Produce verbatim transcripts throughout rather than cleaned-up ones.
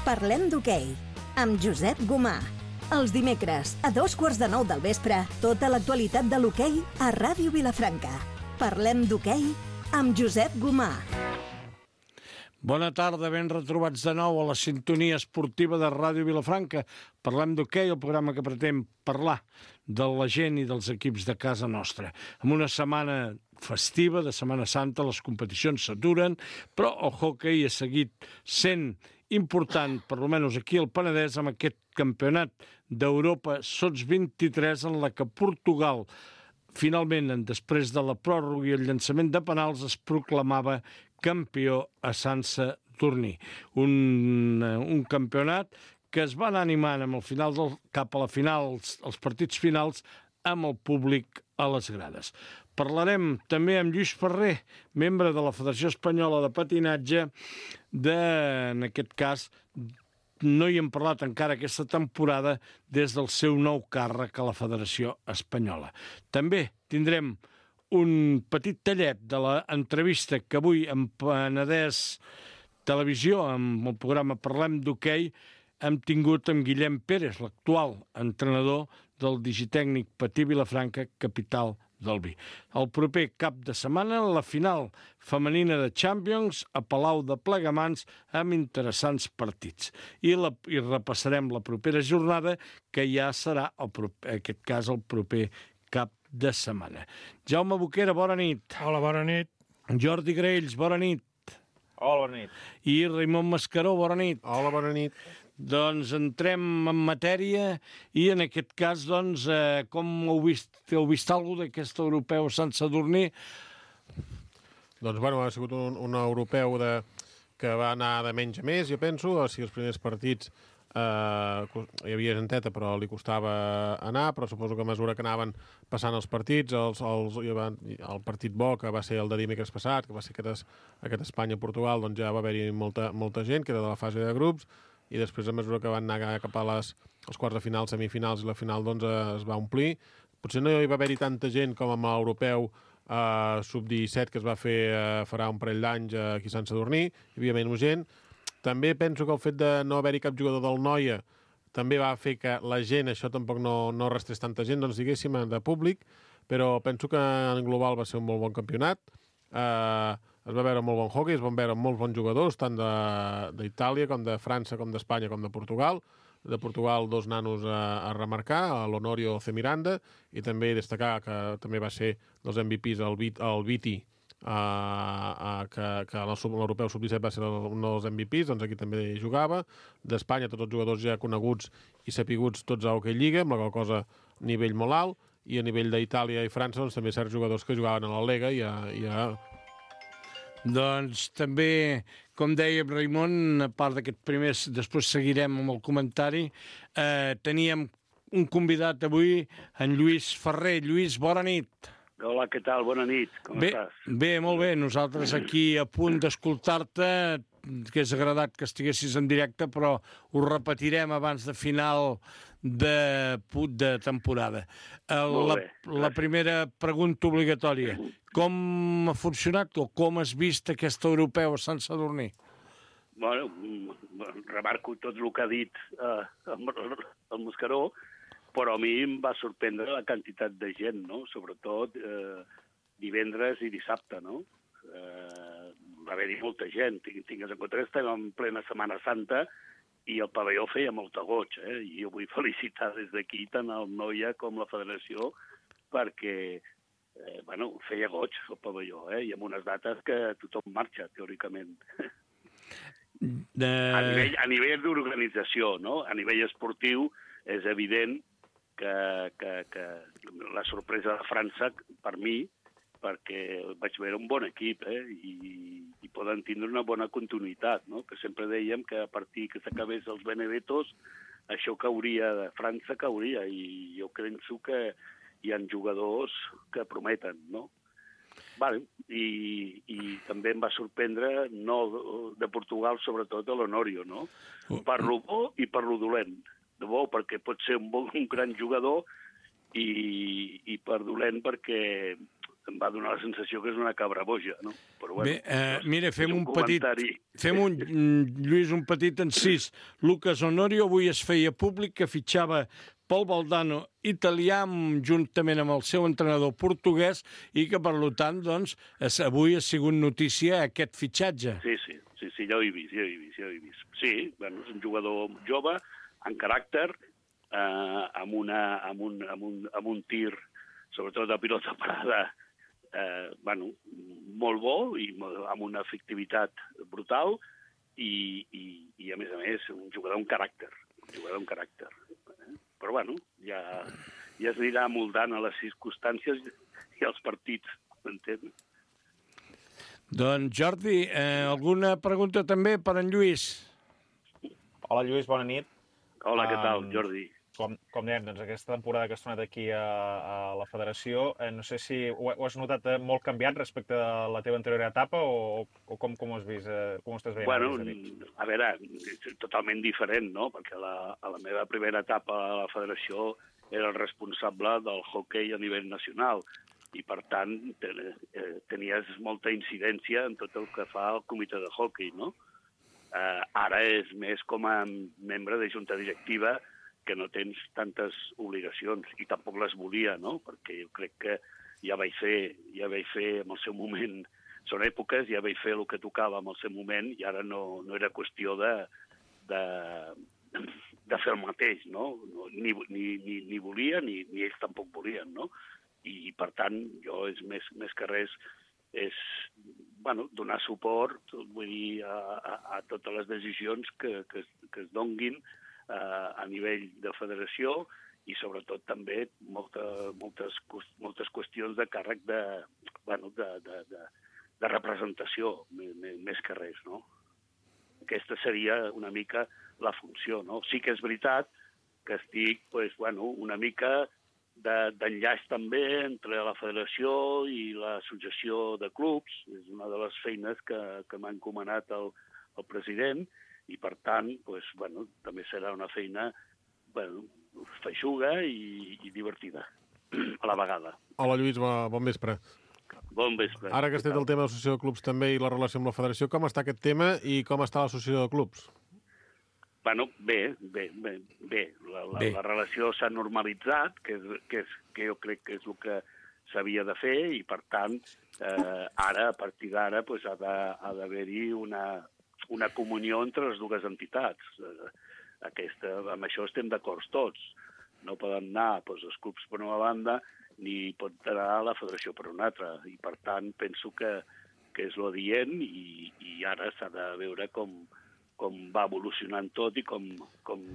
Parlem d'hoquei, amb Josep Gomà. Els dimecres, a dos quarts de nou del vespre, tota l'actualitat de l'hoquei a Ràdio Vilafranca. Parlem d'hoquei amb Josep Gomà. Bona tarda, ben retrobats de nou a la sintonia esportiva de Ràdio Vilafranca. Parlem d'hoquei, el programa que pretén parlar de la gent i dels equips de casa nostra. En una setmana festiva, de Setmana Santa, les competicions s'aturen, però el hoquei ha seguit sent important, per almenys aquí al Penedès, amb aquest campionat d'Europa sots vint-i-tres, en la que Portugal, finalment, després de la pròrroga i el llançament de penals, es proclamava campió a Sant Sadurní. Un, un campionat que es va anar animant amb el final del, cap a la final, els, els partits finals, amb el públic a les grades. Parlarem també amb Lluís Ferrer, membre de la Federació Espanyola de Patinatge, de, en aquest cas, no hi hem parlat encara aquesta temporada des del seu nou càrrec a la Federació Espanyola. També tindrem un petit tallet de l'entrevista que avui en Penedès Televisió, amb el programa Parlem d'hoquei, hem tingut amb Guillem Pérez, l'actual entrenador del Digitècnic Patí Vilafranca, capital del vi. El proper cap de setmana, la final femenina de Champions a Palau de Plegamans, amb interessants partits. I, la, i repassarem la propera jornada, que ja serà, el, en aquest cas, el proper cap de setmana. Jaume Boquera, bona nit. Hola, bona nit. Jordi Graells, bona nit. Hola, bona nit. I Raimon Mascaró, bona nit. Hola, bona nit. Doncs entrem en matèria i en aquest cas, doncs, eh, com heu vist, heu vist alguna cosa d'aquest europeu Sant Sadurní? Doncs, bueno, ha sigut un, un europeu de, que va anar de menys a més, jo penso. O sigui, els primers partits eh, hi havia genteta, però li costava anar, però suposo que a mesura que anaven passant els partits, els, els, el partit bo, que va ser el de dimecres passat, que va ser aquest, aquest Espanya-Portugal, doncs ja va haver-hi molta, molta gent, que era de la fase de grups, i després, a mesura que van anar cap a les, els quarts de final, semifinals i la final, doncs es va omplir. Potser no hi va haver-hi tanta gent com amb l'europeu eh, sub disset que es va fer eh, farà un parell d'anys aquí a Sant Sadurní, hi havia menys gent. També penso que el fet de no haver-hi cap jugador del Noia també va fer que la gent, això tampoc no, no restés tanta gent, doncs diguéssim, de públic, però penso que en global va ser un molt bon campionat. Eh, es va veure molt bon hockey, es van veure molts bons jugadors, tant d'Itàlia com de França, com d'Espanya, com de Portugal. De Portugal, dos nanos a, a remarcar, l'Honorio C. Miranda, i també destacar que també va ser dels M V Ps el, el Viti, uh, uh, que, que l'europeu sub disset va ser un dels M V Ps, doncs aquí també jugava. D'Espanya, tots els jugadors ja coneguts i sapiguts tots a Hockey Lliga, amb la qual cosa a nivell molt alt, i a nivell d'Itàlia i França, doncs també certs jugadors que jugaven a la Lega i a, i a Doncs també, com deia Raimon, a part d'aquest primer, després seguirem amb el comentari, eh, teníem un convidat avui, en Lluís Ferrer. Lluís, bona nit. Hola, què tal? Bona nit. Com bé, estàs? Bé, molt bé. Nosaltres aquí a punt d'escoltar-te, que és agradat que estiguessis en directe, però ho repetirem abans de final de, de temporada. La, la primera pregunta obligatòria. Com ha funcionat o com has vist aquest europeu a Sant Sadurní? Bueno, remarco tot el que ha dit eh, el, el Mascaró, però a mi em va sorprendre la quantitat de gent, no? Sobretot eh, divendres i dissabte, no? Eh, va haver-hi molta gent. Tingues en compte que estem en plena Setmana Santa i el pavelló feia molta goig, eh? I jo vull felicitar des d'aquí tant el Noia com la Federació perquè eh, bueno, feia goig el pavelló, eh? I amb unes dates que tothom marxa, teòricament. De... A nivell, a nivell d'organització, no? A nivell esportiu és evident que, que, que la sorpresa de França, per mi, perquè vaig veure un bon equip, eh? I, i poden tindre una bona continuïtat, no? Que sempre dèiem que a partir que s'acabés els Benedetos, això cauria de França, cauria, i jo penso que hi ha jugadors que prometen, no? Vale. I, i també em va sorprendre, no de Portugal, sobretot de l'Honorio, no? Per lo bo i per lo dolent. De bo perquè pot ser un, bon, un gran jugador i, i per dolent perquè em va donar la sensació que és una cabra boja, no? Però, bueno, Bé, eh, mira, fem un un petit... comentari. Fem un, Lluís, un petit encís. Lucas Honorio avui es feia públic que fitxava Pol Valdano, italià, juntament amb el seu entrenador portuguès, i que, per tant, doncs, es, avui ha sigut notícia aquest fitxatge. Sí, sí, sí, sí, ja ho he vist, ja ho he vist, ja ho he vist. Sí, bueno, és un jugador jove, en caràcter, eh, amb, una, amb, un, amb, un, amb un tir, sobretot de pilota parada, eh, bueno, molt bo i amb una efectivitat brutal i, i, i a més a més, un jugador amb caràcter, un jugador amb caràcter. Però, bueno, ja, ja es anirà moldant a les circumstàncies i als partits, m'entens? Doncs, Jordi, eh, alguna pregunta també per en Lluís? Hola, Lluís, bona nit. Hola, què tal, Um, Jordi? Com, com dèiem, doncs, aquesta temporada que has tornat aquí a, a la federació, eh, no sé si ho, ho has notat eh, molt canviat respecte a la teva anterior etapa o, o com, com ho has vist, eh, com ho estàs veient? Bueno, a veure, és totalment diferent, no? Perquè la, a la meva primera etapa a la federació era el responsable del hoquei a nivell nacional i, per tant, ten, eh, tenies molta incidència en tot el que fa el comitè de hoquei, no? Eh, ara és més com a membre de junta directiva que no tens tantes obligacions i tampoc les volia, no? Perquè jo crec que ja vaig fer, ja vaig fer en el seu moment, són èpoques, ja vaig fer el que tocava en el seu moment i ara no, no era qüestió de, de, de fer el mateix, no? Ni, ni, ni, ni volia ni, ni ells tampoc volien, no? I, per tant, jo és més, més que res és bueno, donar suport, vull dir, a, a, a totes les decisions que, que, que es donguin a nivell de federació i sobretot també molta, moltes, moltes qüestions de càrrec de, bueno, de, de, de, de representació, més que res, no? Aquesta seria una mica la funció, no? Sí que és veritat que estic, pues, bueno, una mica d'enllaç també entre la federació i l'associació de clubs, és una de les feines que, que m'ha encomanat el, el president, i, per tant, pues, bueno, també serà una feina bueno, feixuga i, i divertida, a la vegada. Hola, Lluís, bon vespre. Bon vespre. Ara que has tret el tema de l'associació de clubs també i la relació amb la federació, com està aquest tema i com està l'associació de clubs? Bueno, bé, bé, bé. bé. La, la, bé. la relació s'ha normalitzat, que, és, que, és, que jo crec que és el que s'havia de fer, i, per tant, eh, ara, a partir d'ara, pues, ha d'haver-hi una... una comunió entre les dues entitats. Aquesta, amb això estem d'acord tots. No poden anar doncs, els clubs per una banda ni pot anar a la federació per una altra. I, per tant, penso que, que és l'adient i, i ara s'ha de veure com, com va evolucionant tot i com, com,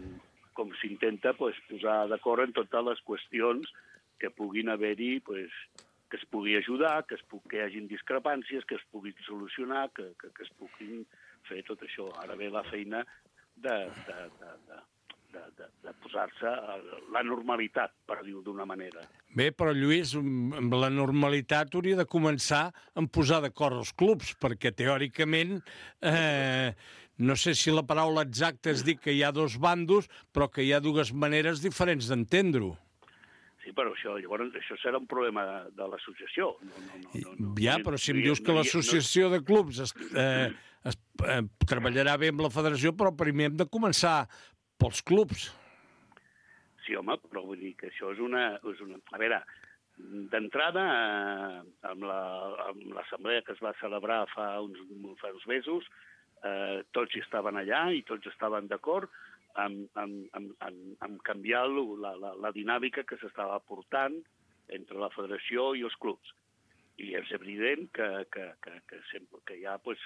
com s'intenta doncs, posar d'acord en totes les qüestions que puguin haver-hi, doncs, que es pugui ajudar, que, es pugui, que hi hagin discrepàncies, que es puguin solucionar, que, que, que es puguin fer tot això. Ara ve la feina de, de, de, de, de, de, de posar-se a la normalitat, per dir-ho d'una manera. Bé, però Lluís, amb la normalitat hauria de començar a posar d'acord els clubs, perquè teòricament, eh, no sé si la paraula exacta és dir que hi ha dos bandos, però que hi ha dues maneres diferents d'entendre-ho. Sí, però això, llavors, això serà un problema de, de l'associació. No, no, no, no, ja, però si em dius que l'associació de clubs es, eh, es, eh, treballarà bé amb la federació, però primer hem de començar pels clubs. Sí, home, però vull dir que això és una... És una... A veure, d'entrada, eh, amb l'assemblea que es va celebrar fa uns, fa uns mesos, eh, tots hi estaven allà i tots estaven d'acord amb, amb, amb, amb, amb canviar la, la, la dinàmica que s'estava portant entre la federació i els clubs. I és evident que, que, que, que, sempre, que hi ha, pues,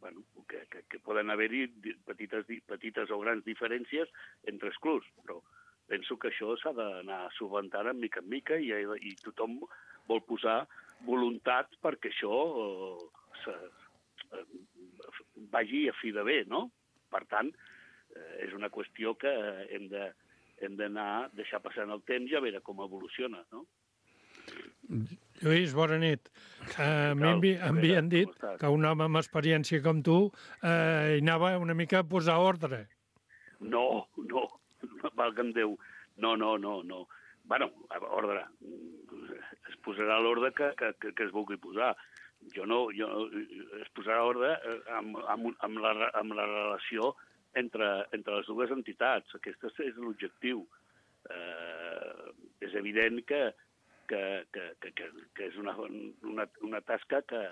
bueno, que, que, que poden haver-hi petites, petites o grans diferències entre els clubs, però penso que això s'ha d'anar solventant en mica en mica i, i tothom vol posar voluntat perquè això eh, eh, vagi a fi de bé, no? Per tant, eh, és una qüestió que hem de, hem d'anar deixar passant el temps i a veure com evoluciona, no? Lluís, bona nit. Uh, M'havien dit que un home amb experiència com tu uh, hi anava una mica a posar ordre. No, no, valga'm Déu. No, no, no, no. Bueno, ordre. Es posarà l'ordre que, que, que, que es vulgui posar. Jo no, jo, es posarà ordre amb, amb, amb, la, amb la relació entre, entre les dues entitats. Aquest és l'objectiu. Eh, és evident que, que, que, que, que és una, una, una tasca que,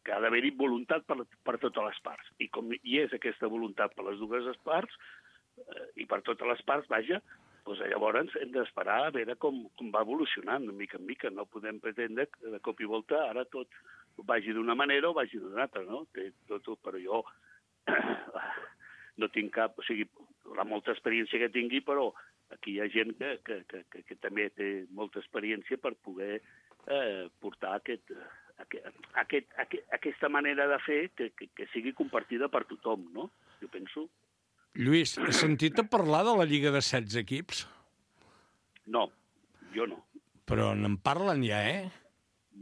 que ha d'haver-hi voluntat per, per totes les parts. I com hi és aquesta voluntat per les dues parts, eh, i per totes les parts, vaja, doncs llavors hem d'esperar a veure com, com va evolucionant, de mica en mica. No podem pretendre que de cop i volta ara tot vagi d'una manera o vagi d'una altra, no? Té, tot, però jo no tinc cap... O sigui, la molta experiència que tingui, però aquí hi ha gent que, que, que, que, que també té molta experiència per poder eh, portar aquest, aquest, aquest, aquest, aquesta manera de fer que, que, que sigui compartida per tothom, no? Jo penso. Lluís, has sentit a parlar de la Lliga de setze equips? No, jo no. Però n'en parlen ja, eh?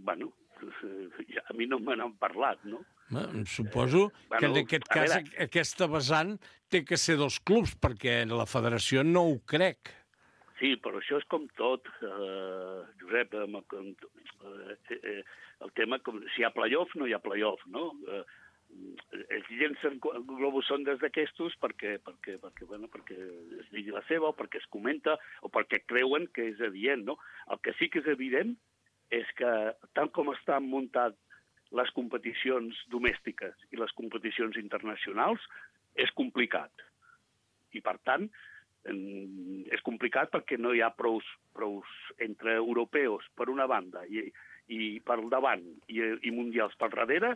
Bueno, ja, a mi no me n'han parlat, no? Bé, suposo bueno, que en aquest cas veure... aquesta vessant té que ser dels clubs, perquè la federació no ho crec. Sí, però això és com tot, eh, Josep, amb, amb, eh, eh, el tema, com, si hi ha play-off, no hi ha play-off, no? Eh, ells llencen globus sondes d'aquestos perquè, perquè, perquè, bueno, perquè es digui la seva, o perquè es comenta, o perquè creuen que és adient, no? El que sí que és evident és que, tal com estan muntat les competicions domèstiques i les competicions internacionals, és complicat. I, per tant, és complicat perquè no hi ha prous, prous entre europeus per una banda i, i per davant i, i mundials per darrere,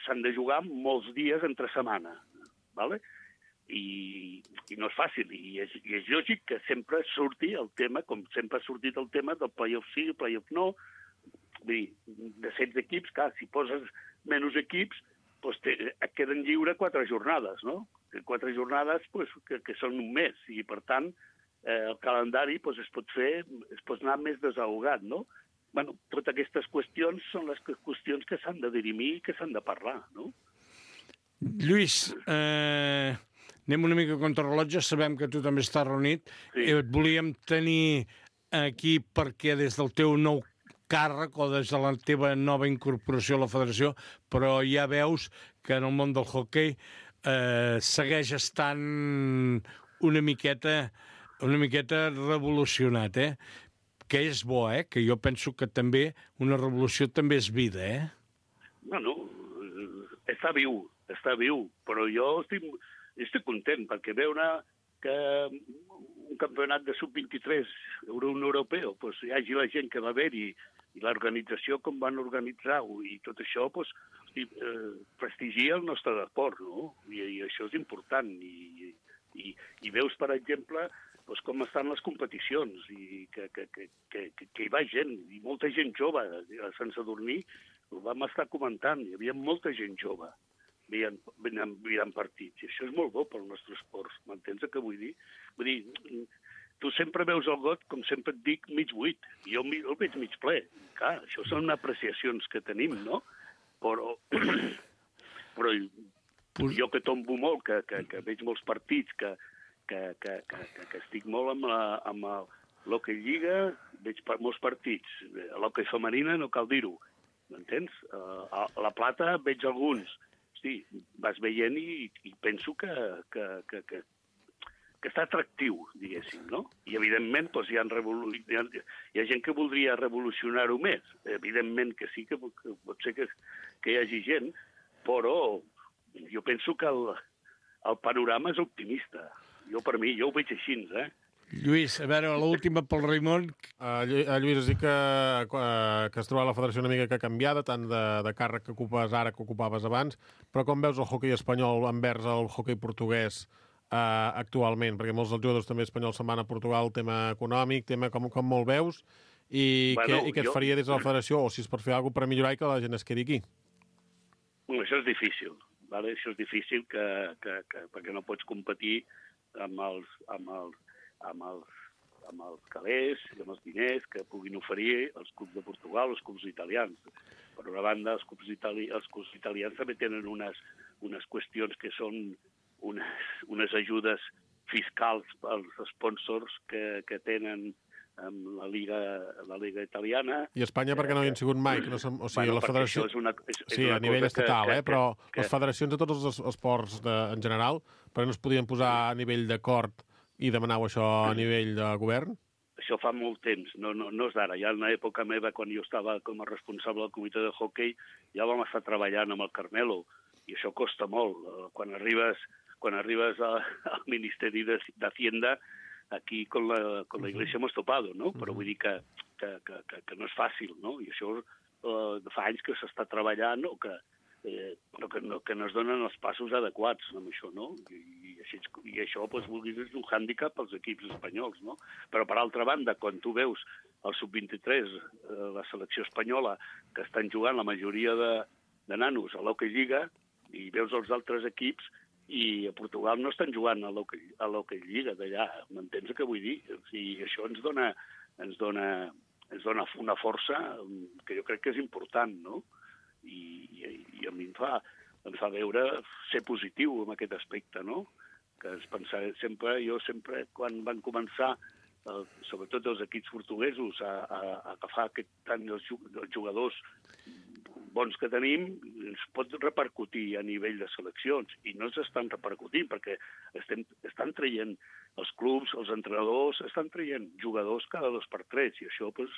s'han de jugar molts dies entre setmana, ¿vale? I, i no és fàcil, i és, i és lògic que sempre surti el tema, com sempre ha sortit el tema del play-off sí, play-off no. Vull dir, de setze equips, clar, si poses menys equips, doncs te, et queden lliure quatre jornades, no? Quatre jornades doncs, que, que són un mes, i per tant eh, el calendari doncs, es pot fer, es pot anar més desahogat, no? Bueno, totes aquestes qüestions són les qüestions que s'han de dirimir i que s'han de parlar, no? Lluís, eh, anem una mica contra rellotge, sabem que tu també estàs reunit. Sí. Et volíem tenir aquí perquè des del teu nou càrrec o des de la teva nova incorporació a la federació, però ja veus que en el món del hoquei eh, segueix estant una miqueta, una miqueta revolucionat, eh? Que és bo, eh? Que jo penso que també una revolució també és vida, eh? Bueno, està viu, està viu, però jo estic, estic content perquè veure que un campionat de sub vint-i-tres un europeu, doncs hi hagi la gent que va haver-hi i l'organització com van organitzar-ho i tot això, doncs, hosti, eh, prestigia el nostre esport, no? I, i això és important. I, i, i veus, per exemple, doncs, com estan les competicions i que, que, que, que, que hi va gent, i molta gent jove, sense dormir, ho vam estar comentant, hi havia molta gent jove veient, veient partits, i això és molt bo pel nostre esport, m'entens el que vull dir? Vull dir, tu sempre veus el got, com sempre et dic, mig buit, i jo el veig mig ple. Clar, això són apreciacions que tenim, no? Però, però jo que tombo molt, que, que, que veig molts partits, que, que, que, que, que estic molt amb la, amb l'hoquei lliga, veig molts partits. L'hoquei femenina no cal dir-ho, m'entens? A la plata veig alguns. Hosti, vas veient i, i penso que, que, que, que que està atractiu, diguéssim, no? I, evidentment, doncs, hi, ha revolu... hi, ha... hi ha gent que voldria revolucionar-ho més. Evidentment que sí, que, que pot ser que, que hi hagi gent, però jo penso que el, el panorama és optimista. Jo, per mi, jo ho veig així, eh? Lluís, a veure, l'última pel Raimon. Uh, Lluís, has dit que, uh, que has trobat la federació una mica que canviada, tant de, de càrrec que ocupes ara que ocupaves abans, però com veus el hoquei espanyol envers el hoquei portuguès Uh, actualment, perquè molts dels jugadors també espanyols se'n van a Portugal, tema econòmic, tema com, com molt veus, i, bueno, què, i què et jo... faria des de la federació, o si es pot fer alguna cosa per millorar i que la gent es quedi aquí? Bueno, això és difícil, ¿vale? Això és difícil que, que, que, perquè no pots competir amb els, amb els, amb els, amb els calés i amb els diners que puguin oferir els clubs de Portugal, els clubs italians. Per una banda, els clubs, itali... els clubs italians també tenen unes, unes qüestions que són unes, unes ajudes fiscals als sponsors que, que tenen amb la Liga, la Liga italiana. I Espanya perquè no hi han sigut mai? Que no som, o sigui, bueno, la federació... és una, és, és sí, una a nivell estatal, que, eh? Però que, que... les federacions de tots els esports de, en general, però no es podien posar a nivell d'acord i demanau això a nivell de govern? Això fa molt temps, no, no, no és d'ara. Ja en l'època meva, quan jo estava com a responsable del comitè de hoquei, ja vam estar treballant amb el Carmelo, i això costa molt. Quan arribes, quan arribes a, al Ministeri de, de Hacienda, aquí con la, con la Iglesia hemos topado, no? Però vull dir que, que, que, que, que no és fàcil, no? I això eh, fa anys que s'està treballant o que, eh, però que no, que no es donen els passos adequats amb això, no? I, i, així, i això, doncs, vulguis, és un hàndicap pels equips espanyols, no? Però, per altra banda, quan tu veus el sub vint-i-tres, eh, la selecció espanyola, que estan jugant la majoria de, de nanos a l'Hockey Lliga, i veus els altres equips, i a Portugal no estan jugant a l'Hockey Lliga d'allà, m'entens el que vull dir? O sigui, això ens dona, ens dona, ens dona una força que jo crec que és important, no? I, i, i a mi em fa, em fa veure ser positiu en aquest aspecte, no? Que es pensar, sempre, jo sempre, quan van començar, eh, sobretot els equips portuguesos, a, a, a agafar aquest, tant els jugadors bons que tenim, ens pot repercutir a nivell de seleccions, i no s'estan repercutint, perquè estem, estan traient els clubs, els entrenadors, estan traient jugadors cada dos per tres, i això pues,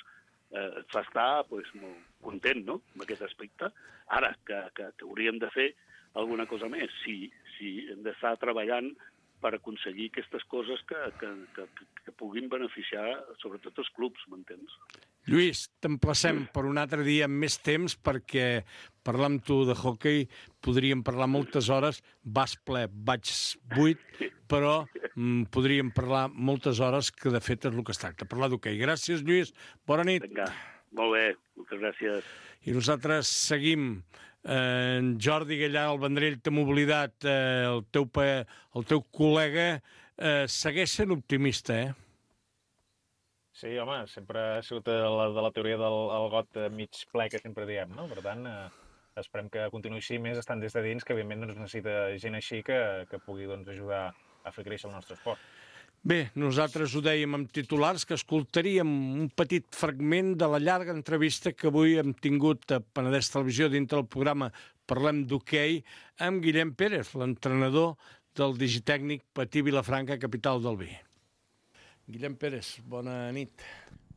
eh, et fa estar pues, molt content, no?, amb aquest aspecte. Ara, que, que, que hauríem de fer alguna cosa més, sí, sí, hem d'estar treballant per aconseguir aquestes coses que, que, que, que puguin beneficiar sobretot els clubs, m'entens? Lluís, t'emplacem per un altre dia amb més temps perquè parlar amb tu de hoquei podríem parlar moltes hores, vas ple, vaig buit, però mm, podríem parlar moltes hores, que de fet és el que es tracta, parlar d'hoquei. Gràcies, Lluís, bona nit. Vinga, molt bé, moltes gràcies. I nosaltres seguim. Eh, en Jordi Gallà, el Vendrell, t'hem oblidat, eh, el, teu pa, el teu col·lega, eh, segueix sent optimista, eh? Sí, home, sempre ha sigut la, de la teoria del el got mig ple que sempre diem, no? Per tant, eh, esperem que continuï així, més estant des de dins, que evidentment doncs, necessita gent així que, que pugui doncs, ajudar a fer créixer el nostre esport. Bé, nosaltres ho dèiem amb titulars, que escoltaríem un petit fragment de la llarga entrevista que avui hem tingut a Penedès Televisió dintre del programa Parlem d'Hoquei amb Guillem Pérez, l'entrenador del Digitècnic Patí Vilafranca, capital del vi. Guillem Pérez, bona nit.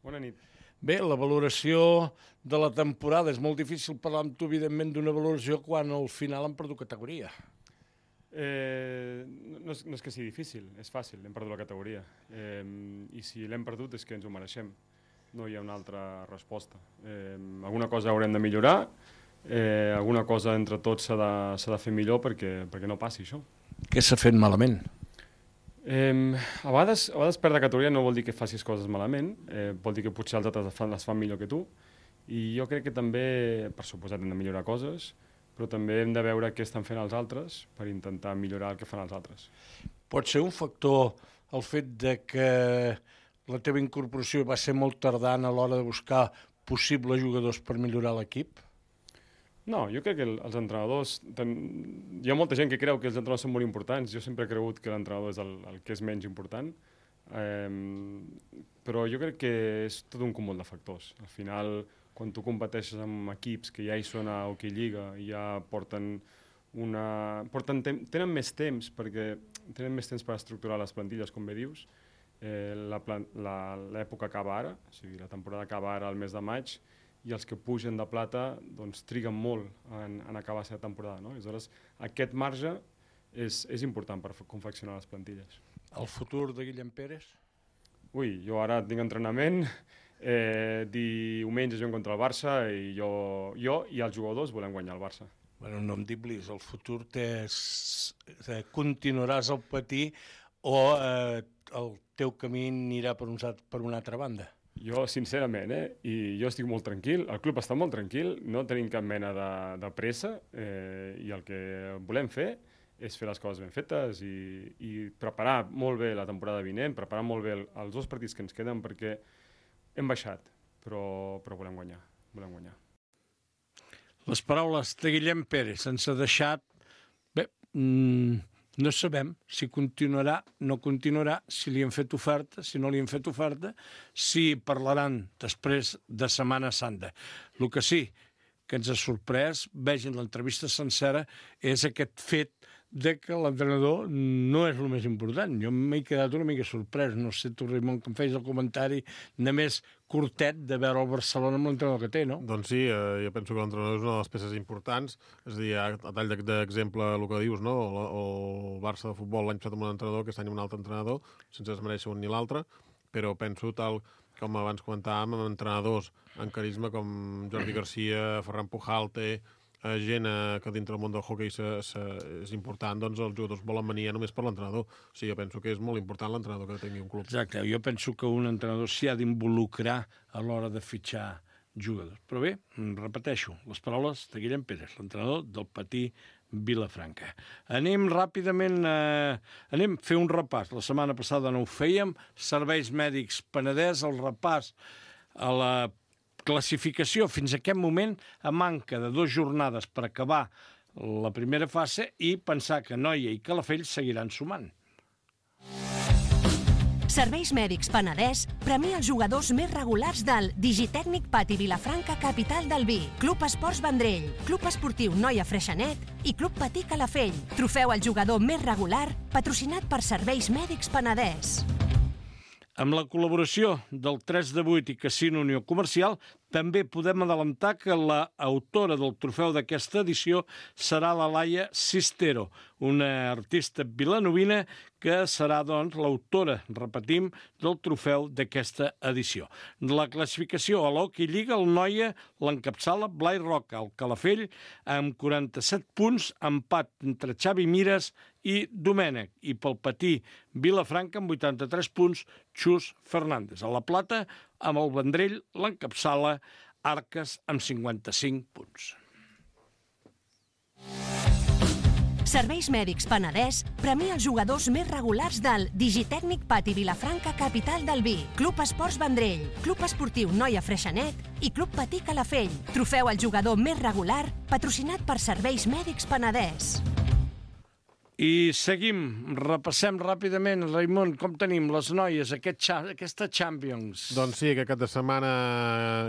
Bona nit. Bé, la valoració de la temporada. És molt difícil parlar amb tu, evidentment, d'una valoració quan al final han perdut categoria. Eh, no, és, no és que sigui difícil, és fàcil, hem perdut la categoria. Eh, I si l'hem perdut és que ens ho mereixem. No hi ha una altra resposta. Eh, alguna cosa haurem de millorar, eh, alguna cosa entre tots s'ha de, s'ha de fer millor perquè, perquè no passi això. Què s'ha fet malament? Eh, a, vegades, a vegades perdre categoria no vol dir que facis coses malament, eh, vol dir que potser els altres les fan, les fan millor que tu, i jo crec que també, per suposat, hem de millorar coses, però també hem de veure què estan fent els altres per intentar millorar el que fan els altres. Pot ser un factor el fet de que la teva incorporació va ser molt tardana a l'hora de buscar possibles jugadors per millorar l'equip? No, jo crec que els entrenadors... Ten... Hi ha molta gent que creu que els entrenadors són molt importants. Jo sempre he cregut que l'entrenador és el, el que és menys important. Eh, però jo crec que és tot un cúmul de factors. Al final, quan tu competeixes amb equips que ja hi són a Hockey Lliga i ja porten una... Porten tem... tenen més temps, perquè tenen més temps per estructurar les plantilles, com bé dius. Eh, la plan... la... L'època acaba ara, o sigui, la temporada acaba ara al mes de maig, i els que pugen de plata doncs, triguen molt en, en acabar la seva temporada. No? Aleshores, aquest marge és, és important per confeccionar les plantilles. El futur de Guillem Pérez? Ui, jo ara tinc entrenament, eh, diumenge juguem contra el Barça i jo, jo i els jugadors volem guanyar el Barça. Bueno, no em diblis, el futur t'és, continuaràs al Patí o eh, el teu camí anirà per, un, per una altra banda? Jo, sincerament, eh, i jo estic molt tranquil, el club està molt tranquil, no tenim cap mena de, de pressa, eh, i el que volem fer és fer les coses ben fetes i, i preparar molt bé la temporada vinent, preparar molt bé el, els dos partits que ens queden, perquè hem baixat, però, però volem guanyar, volem guanyar. Les paraules de Guillem Pérez ens ha deixat... Bé, mmm, No sabem si continuarà, no continuarà, si li han fet oferta, si no li han fet oferta, si parlaran després de Setmana Santa. El que sí que ens ha sorprès, vegin l'entrevista sencera, és aquest fet de que l'entrenador no és el més important. Jo m'he quedat una mica sorprès. No sé tu, Raimon, que em feies el comentari només curtet de veure el Barcelona amb l'entrenador que té, no? Doncs sí, eh, jo penso que l'entrenador és una de les peces importants. És a dir, a tall d'exemple el que dius, no? El, el Barça de futbol l'any passat amb un entrenador, aquest any amb un altre entrenador, sense desmereixer un ni l'altre, però penso tal com abans comentàvem, amb entrenadors en carisma com Jordi Garcia, Ferran Pujalte, eh, gent eh, que dintre del món del hoquei se, se, és important, doncs els jugadors volen venir només per l'entrenador. O sigui, jo penso que és molt important l'entrenador que tingui un club. Exacte, jo penso que un entrenador s'hi ha d'involucrar a l'hora de fitxar jugadors. Però bé, repeteixo, les paraules de Guillem Pérez, l'entrenador del Patí Vilafranca. Anem ràpidament, eh, anem a fer un repàs. La setmana passada no ho fèiem. Serveis Mèdics Penedès, el repàs a la classificació fins a aquest moment a manca de dues jornades per acabar la primera fase i pensar que Noia i Calafell seguiran sumant. Serveis Mèdics Penedès premia els jugadors més regulars del Digitècnic Pati Vilafranca, capital del vi, Club Esports Vendrell, Club Esportiu Noia Freixenet i Club Patí Calafell. Trofeu al jugador més regular, patrocinat per Serveis Mèdics Penedès. Amb la col·laboració del tres de vuit i Casino Unió Comercial, també podem adelantar que l'autora del trofeu d'aquesta edició serà la Laia Sistero, una artista vilanovina que serà, doncs, l'autora, repetim, del trofeu d'aquesta edició. La classificació a l'Hockey Lliga, el Noia l'encapçala Blai Roca, el Calafell, amb quaranta-set punts, empat entre Xavi Mires i Domènec, i pel Patí Vilafranca, amb vuitanta-tres punts, Xus Fernández. A la Plata, amb el Vendrell, l'encapçala Arques, amb cinquanta-cinc punts. Serveis Mèdics Penedès premia els jugadors més regulars del Digitècnic Pati Vilafranca, capital del vi, Club Esports Vendrell, Club Esportiu Noia Freixenet i Club Patí Calafell. Trofeu al jugador més regular, patrocinat per Serveis Mèdics Penedès. I seguim, repassem ràpidament, Raimon, com tenim les noies, aquest, aquesta Champions? Doncs sí, aquest cap de setmana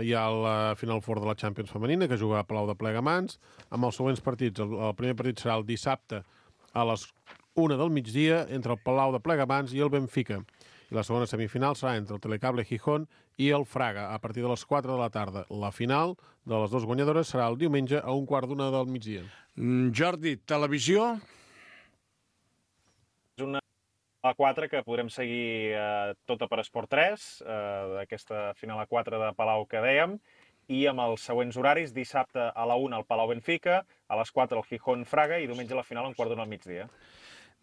hi ha la Final Four de la Champions femenina, que juga a Palau de Plegamans, amb els següents partits. El, el primer partit serà el dissabte a les una del migdia entre el Palau de Plegamans i el Benfica. I la segona semifinal serà entre el Telecable Gijón i el Fraga, a partir de les quatre de la tarda. La final de les dues guanyadores serà el diumenge a un quart d'una del migdia. Mm, Jordi, televisió? És una a quatre que podrem seguir eh, tota per Esport tres, eh, d'aquesta final a quatre de Palau que dèiem, i amb els següents horaris, dissabte a la una al Palau Benfica, a les quatre al Gijón Fraga i diumenge la final a un quart d'una al migdia.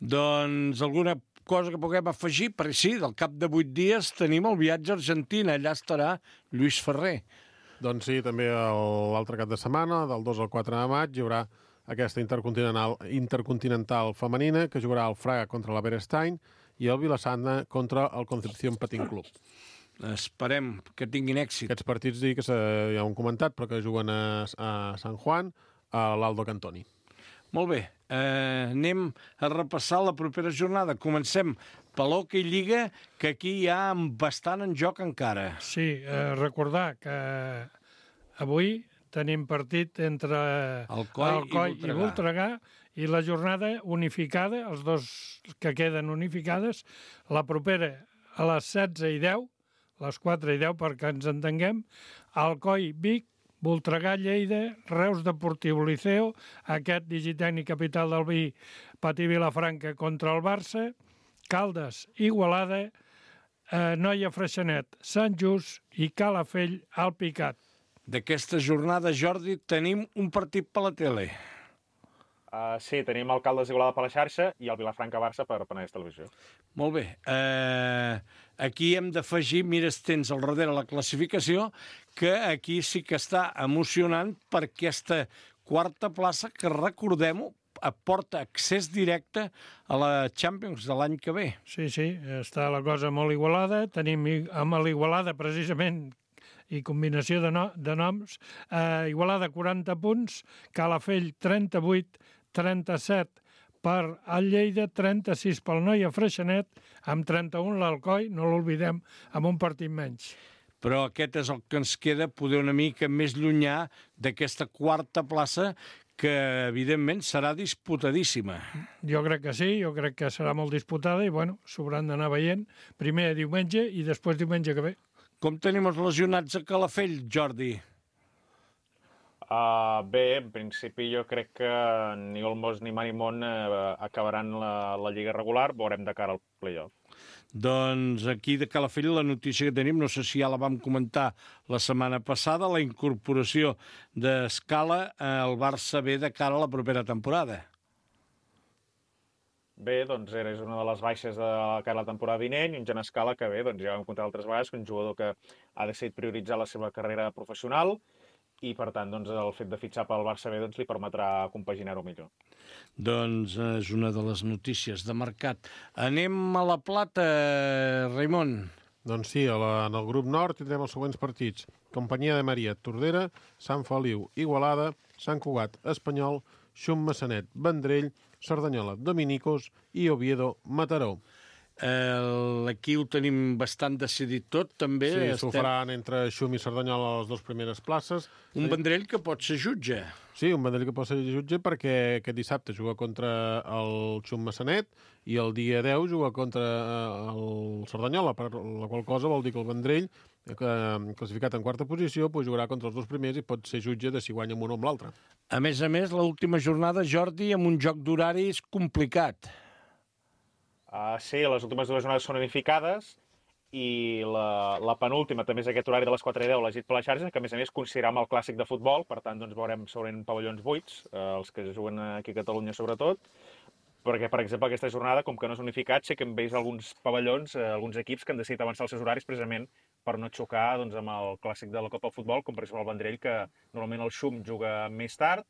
Doncs alguna cosa que puguem afegir? Perquè sí, del cap de vuit dies tenim el viatge a Argentina, allà estarà Lluís Ferrer. Doncs sí, també l'altre cap de setmana, del dos al quatre de maig, hi haurà aquesta intercontinental, intercontinental femenina que jugarà el Fraga contra la Berestein i el Vilassana contra el Concepción Patín Club. Esperem que tinguin èxit. Aquests partits, dic que ja ho hem comentat, però que juguen a, a San Juan, a l'Aldo Cantoni. Molt bé, eh, anem a repassar la propera jornada. Comencem per l'Hockey Lliga, que aquí hi ha bastant en joc encara. Sí, eh, recordar que avui tenim partit entre Alcoi, Alcoi i, i Voltregà i la jornada unificada, els dos que queden unificades, la propera a les setze i deu, les quatre i deu perquè ens entenguem, Alcoi Vic, Voltregà Lleida, Reus Deportiu Liceo, aquest Digitècnic Capital del Vi, Patí Vilafranca contra el Barça, Caldes Igualada, eh, Noia Freixenet, Sant Just i Calafell Alpicat. D'aquesta jornada, Jordi, tenim un partit per la tele. Uh, sí, tenim el Caldes Igualada per la xarxa i el Vilafranca-Barça per Penedès Televisió. Molt bé. Uh, aquí hem d'afegir, mira, tens al darrere la classificació, que aquí sí que està emocionant per aquesta quarta plaça que, recordem-ho, aporta accés directe a la Champions de l'any que ve. Sí, sí, està la cosa molt igualada. Tenim amb l'Igualada, precisament, i combinació de, no, de noms, eh, Igualada quaranta punts, Calafell trenta-vuit, trenta-set Per al Lleida, trenta-sis pel Noia Freixenet, amb trenta-un l'Alcoi, no l'oblidem, amb un partit menys. Però aquest és el que ens queda poder una mica més llunyà d'aquesta quarta plaça que, evidentment, serà disputadíssima. Jo crec que sí, jo crec que serà molt disputada i, bueno, s'hauran d'anar veient primer diumenge i després diumenge que ve. Com tenim els lesionats a Calafell, Jordi? Uh, bé, en principi jo crec que ni Olmos ni Marimón uh, acabaran la, la lliga regular, veurem de cara al playoff. Doncs aquí de Calafell la notícia que tenim, no sé si ja la vam comentar la setmana passada, la incorporació d'Escala al Barça B de cara a la propera temporada. Bé, doncs era una de les baixes de cara a la temporada vinent, i un Jan Escala que bé, doncs ja vam comptar altres vegades, que un jugador que ha decidit prioritzar la seva carrera professional, i, per tant, doncs, el fet de fitxar pel Barça B doncs, li permetrà compaginar-ho millor. Doncs és una de les notícies de mercat. Anem a La Plata, Raimon. Doncs sí, a la, en el grup nord tindrem els següents partits. Companyia de Maria, Tordera, Sant Feliu, Igualada, Sant Cugat, Espanyol, Xum Massanet, Vendrell, Cerdanyola, Dominicos i Oviedo, Mataró. Eh, aquí ho tenim bastant decidit tot, també. Sí, estem... s'ho faran entre Xum i Cerdanyola a les dues primeres places. Un Vendrell que pot ser jutge. Sí, un Vendrell que pot ser jutge perquè aquest dissabte juga contra el Xum Massanet i el dia deu juga contra el Cerdanyola, per la qual cosa vol dir que el Vendrell, classificat en quarta posició, pues jugarà contra els dos primers i pot ser jutge de si guanya amb un o amb l'altre. A més a més, l'última jornada, Jordi, amb un joc d'horaris complicat. Uh, sí, les últimes dues jornades són unificades i la, la penúltima també és aquest horari de les quatre i deu elegit per la xarxa, que a més a més coincidirà amb el clàssic de futbol, per tant doncs veurem segurament pavellons buits, uh, els que juguen aquí a Catalunya sobretot, perquè, per exemple, aquesta jornada, com que no és unificat, sí que hem vist alguns pavellons, uh, alguns equips que han decidit avançar els seus horaris precisament per no xocar doncs, amb el clàssic de la Copa de Futbol, com per exemple el Vendrell, que normalment el Xum juga més tard,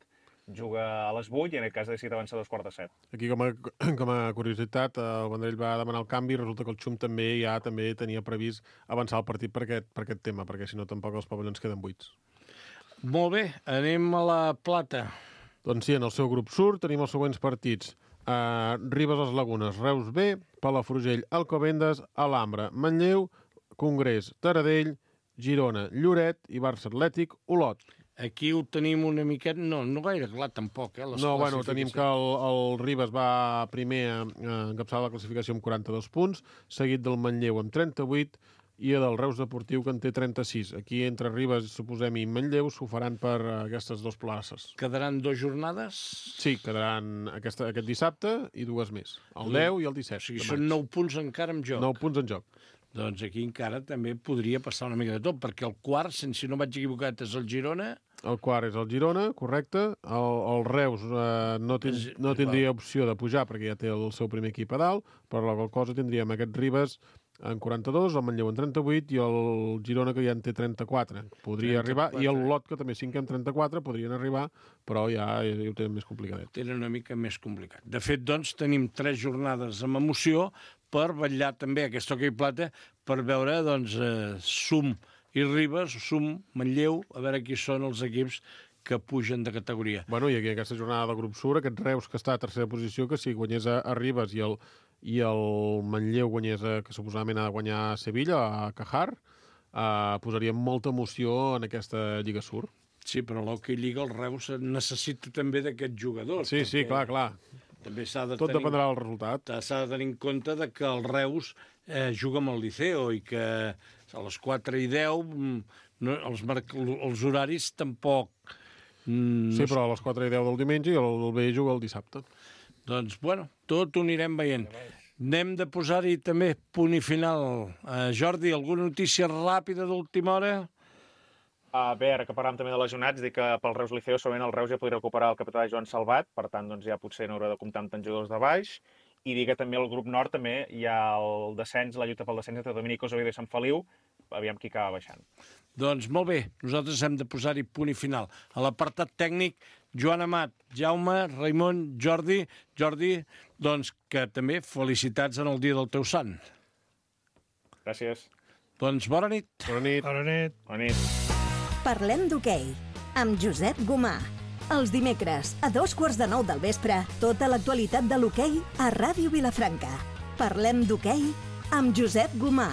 juga a les vuit i en aquest cas ha decidit avançar a dos quarts de set. Aquí, com a, com a curiositat, el Vendrell va demanar el canvi i resulta que el Xum també ja també tenia previst avançar el partit per aquest, per aquest tema, perquè si no tampoc els pavellons queden buits. Molt bé, anem a La Plata. Doncs sí, en el seu grup sud tenim els següents partits. Uh, Ribes les Lagunes, Reus B, Palafrugell, Alcobendas, Alhambra, Manlleu, Congrés, Taradell, Girona, Lloret i Barça Atlètic, Olot. Aquí ho tenim una miqueta... No, no gaire clar, tampoc, eh? No, bueno, tenim que el, el Ribes va primer a, a encapçalar la classificació amb quaranta-dos punts, seguit del Manlleu amb trenta-vuit i del Reus Deportiu, que en té trenta-sis. Aquí, entre Ribes, suposem, i Manlleu, s'ho faran per aquestes dues places. Quedaran dues jornades? Sí, quedaran aquesta, aquest dissabte i dues més. El deu i el disset. O sigui, són nou punts encara en joc. Nou punts en joc. Doncs aquí encara també podria passar una mica de tot, perquè el quart, si no vaig equivocat, és el Girona. El quart és el Girona, correcte. El, el Reus eh, no, ten, no tindria opció de pujar perquè ja té el seu primer equip a dalt, per la qual cosa tindríem aquest Ribes en quaranta-dos, el Manlleu en trenta-vuit i el Girona, que ja en té trenta-quatre. Podria trenta-quatre. Arribar, i el Olot, que també cinc en trenta-quatre, podrien arribar, però ja, ja ho tenen més complicadet. Tenen una mica més complicat. De fet, doncs, tenim tres jornades amb emoció per vetllar també aquest hoquei plata, per veure, doncs, eh, Sum i Ribes, Sum, Manlleu, a veure qui són els equips que pugen de categoria. Bueno, i aquí aquesta jornada del grup Sur, aquest Reus que està a tercera posició, que si guanyés a, a Ribes i el, i el Manlleu guanyés, a, que suposadament ha de guanyar a Sevilla, a Cajar, eh, posaria molta emoció en aquesta Lliga Sur. Sí, però l'Hockey Lliga, el Reus necessita també d'aquests jugadors. Sí, sí, clar, clar. També s'ha de Tot tenir, dependrà del resultat. S'ha de tenir en compte de que el Reus eh, juga amb el Liceo i que a les quatre i deu no, els, els horaris tampoc... Mm, sí, però a les quatre i deu del diumenge i el, el B juga el dissabte. Doncs, bueno, tot ho anirem veient. Anem de posar-hi també punt i final. Uh, Jordi, alguna notícia ràpida d'última hora? Uh, bé, ara que parlàvem també de lesionats, dic que pel Reus Liceo segurament el Reus ja podria recuperar el capità Joan Salvat, per tant doncs ja potser no haurà de comptar amb tants jugadors de baix, i dir que també al grup nord també hi ha el descens, la lluita pel descens entre Dominicos, Oviedo i Sant Feliu, aviam qui acaba baixant. Doncs molt bé, nosaltres hem de posar-hi punt i final. A l'apartat tècnic, Joan Amat, Jaume, Raimon, Jordi, Jordi, doncs que també felicitats en el dia del teu sant. Gràcies. Doncs bona nit. Bona nit. Bona nit. Bona nit. Parlem d'hoquei, amb Josep Gomà. Els dimecres, a dos quarts de nou del vespre, tota l'actualitat de l'hoquei a Ràdio Vilafranca. Parlem d'hoquei amb Josep Gomà.